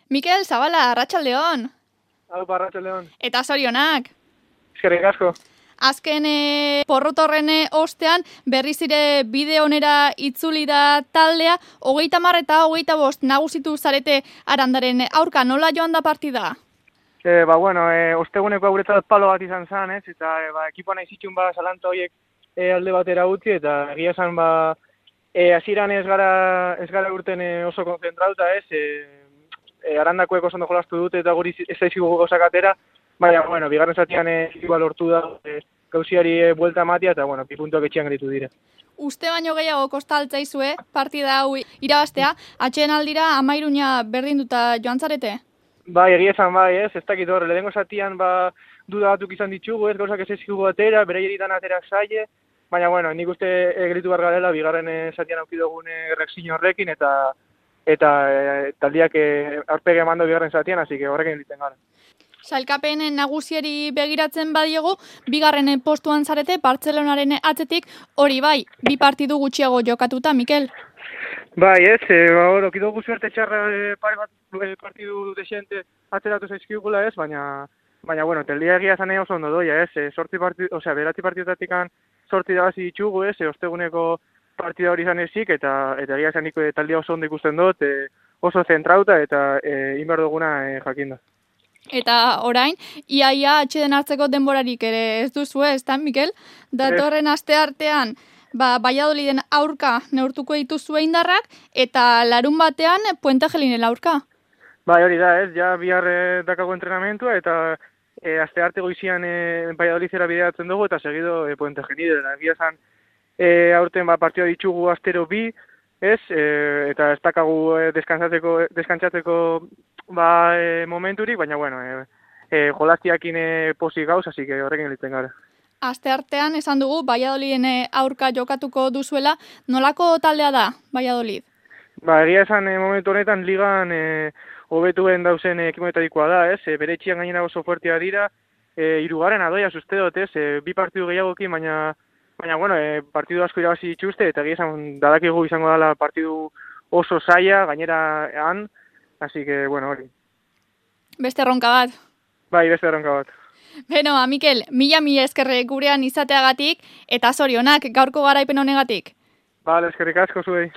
Mikel Zabala, arratsaldeon. Hau, arratsaldeon. Eta zorionak. Eskerrik asko. Azken porrotorren ostean berriz ere bide onera itzuli da taldea, 30 eta 25 nagusitu zarete Arandaren aurka, nola joan da partida? Osteguneko guretzat palo bat izan zen, ez? Eta ekipoa nahi zitxun zalantza horiek alde batera utzi, eta egia esan hasieran ez gara urten oso konzentrauta, ez? Arandakoek oso ondo jolastu dute eta guri ez zaizkigu gauzak atera, baina, bigarren zatian lortu da gauziari buelta ematea, eta, bi puntuak etxean gelitu dire. Uste baino gehiago kostaltzaizue partida hau irabaztea, atxeen aldira 13 berdinduta joan zarete? Bai, egia esan ez dakit hor, lehenengo zatian duda batzuk izan ditugu, ez gauzak ez ezkigu atera, beraieritan atera zaie, baina, nik uste gelitu behar garela, bigarren zatian aukidogun reakzio horrekin, eta taldiak aurpege emando bigarren zatian, hasi que horrekin egiten gara. Sailkapen nagusiari begiratzen badiegu, bigarren postuan zarete, Bartzelonaren atzetik, hori bai, 2 partidu gutxiago jokatuta, Mikel? Bai, okidogu suerte txarra pare bat partidu desente atzeratu zaizkigula ez, baina, teldia egia zane oso ondo doia, ez, 9 partidutatik 8 irabazi ditugu, ez, osteguneko partida hori izan ezik, eta egia esan niko taldia oso ondo ikusten dut, oso zentrauta eta inber duguna jakinda. Eta orain, iaia atxeden hartzeko denborarik ere ez duzu ez da, Mikel? Datorren aste artean, Valladoliden aurka neurtuko dituzue indarrak, eta larun batean Puente Gelinen aurka. Bai, hori da, ez, ja bihar dakago entrenamentua, eta aste arte goizian Valladolidera bideratzen dugu, eta segido Puente Gelinen. Egia esan, aurten partida ditugu astero 2, ez, eta ez dakagu deskantzatzeko momenturik, baina, jolastiakin pozik gauz, hasi que horrekin elitzen gara. Aste artean esan dugu Valladoliden aurka jokatuko duzuela, nolako taldea da Valladolid? Egia esan momentu honetan ligan hobetuen dauzen ekimoetarikoa da, ez, bere etxian gainera oso fuertea dira, 3. adoia uste dut, ez, 2 partidu gehiagokin, baina, partidu asko irabazi dituzte, eta egia esan dadakigu izango dela partidu oso zaila, gainera han, así que, hori. Beste erronka bat. Bai, beste erronka bat. Beno, Mikel, mila eskerre gurean izateagatik, eta zorionak gaurko garaipen honegatik. Eskerrik asko zuei.